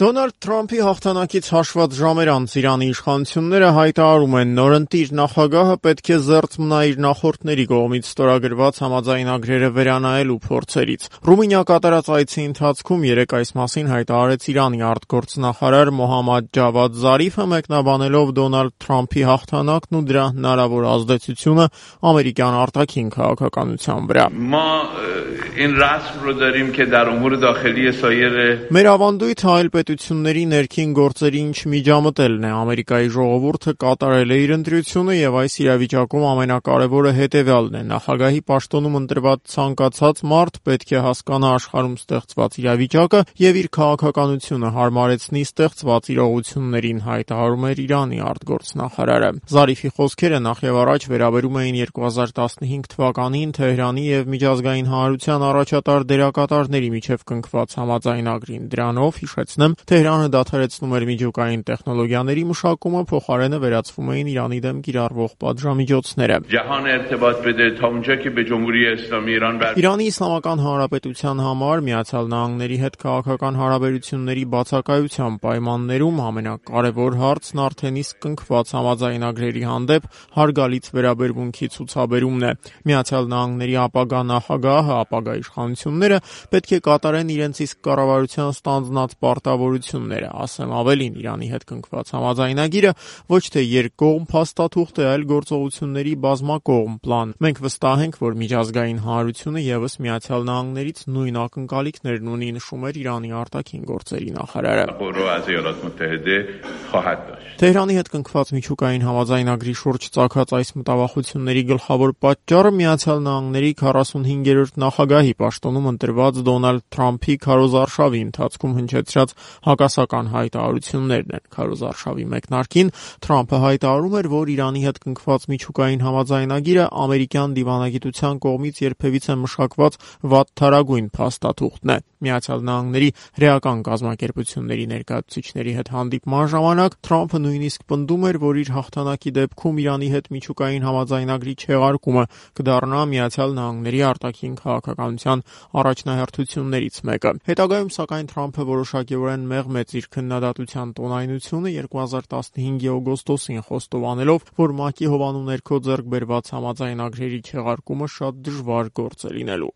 Դոնալդ Թրամփի հաղթանակից հաշված ժամեր անց Իրանի իշխանությունները հայտարարում են, նորընտիր նախագահը պետք է զերծ մնա իր նախորդների կողմից ստորագրված համաձայնագրերը վերանայելու փորձերից։ Ռումինիա կատարած այցի ընթացքում երեկ այս մասին հայտարարեց Իրանի արտգործնախարար Մոհամմադ Ջավադ Զարիֆը, մեկնաբանելով Դոնալդ Թրամփի հաղթանակն ու դրա հնարավոր ազդեցությունը ամերիկյան արտաքին քաղաքականության վրա։ Մեր ավանդույթը այլ պետությունների ներքին գործերի ինչ միջամտելն է։ Ամերիկայի ժողովուրդը կատարել է իր ընտրությունը եւ այս իրավիճակում ամենակարևորը հետեւյալն է. նախագահի պաշտոնում ընտրված ցանկացած մարդ պետք է հասկանա աշխարհում ստեղծված իրավիճակը եւ իր քաղաքականությունը հարմարեցնի ստեղծված իրողություններին, հայտարարում էր Իրանի արտգործնախարարը։ Զարիֆի խոսքերը նախևառաջ վերաբերում էին 2015 թվականին Թեհրանի եւ միջազգային հանրության առաջատար դերակատարների միջև կնքված համաձայնագրին։ Դրանով, հիշեցնեմ, Թեհրանը դադարեցնում էր միջուկային տեխնոլոգիաների մշակումը, փոխարենը վերացվում էին Իրանի դեմ կիրառվող պատժամիջոցները։ Իրանի Իսլամական Հանրապետության համար Միացյալ Նահանգների հետ քաղաքական հարաբերությունների բացակայության պայմաններում ամենակարևոր հարցն արդեն իսկ կնքված համաձայնագրերի հանդեպ հարգալից վերաբերմունքի ցուցաբերումն է։ Միացյալ Նահանգների ապագա նախագահը, ապագա իշխանությունները պետք է կատարեն իրենց իսկ կառավարության ստանձնած պարտավորությունները, ասեմ ավելին, Իրանի հետ կնքված համաձայնագիրը ոչ թե երկկողմ փաստաթուղթ է, այլ գործողությունների բազմակողմ պլան։ Մենք վստահ ենք, որ միջազգային հանրությունը եւս Միացյալ Նահանգներից նույն ակնկալիքներն ունի, նշում էր Իրանի արտաքին գործերի նախարարը։ Թեհրանի հետ կնքված միջուկային համաձայնագրի շուրջ ծագած այս մտավախությունների գլխավոր պատճառը Միացյալ Նահանգների 45-րդ նախագահի պաշտոնում ընտրված Դոնալդ Թրամփի քարոզարշավի ընթացքում հնչեցրած հակասական հայտարարություններն են։ Քարոզարշավի մեկնարկին Թրամփը հայտարարում էր, որ Իրանի հետ կնքված միջուկային համաձայնագիրը ամերիկյան դիվանագիտության կողմից երբևիցե մշակված վատթարագույն փաստաթուղթն է։ Միացյալ Նահանգների հրեական կազմակերպությունների ներկայացուցիչների հետ հանդիպման ժամանակ Թրամփը նույնիսկ պնդում էր, որ իր հաղթանակի դեպքում Իրանի հետ միջուկային համաձայնագրի չեղարկումը կդառնա Միացյալ Նահանգների արտաքին քաղաքականության առաջնահերթություններից մեկը։ Հետագայում, սակայն, Թրամփը որոշակիորեն մեղմեց իր քննադատության տոնայնությունը 2015-ի օգոստոսին խոստովանելով, որ ՄԱԿ-ի հովանու ներքո ձեռք բերված համաձայնագրերի չեղարկումը շատ դժվար գործ է լինելու։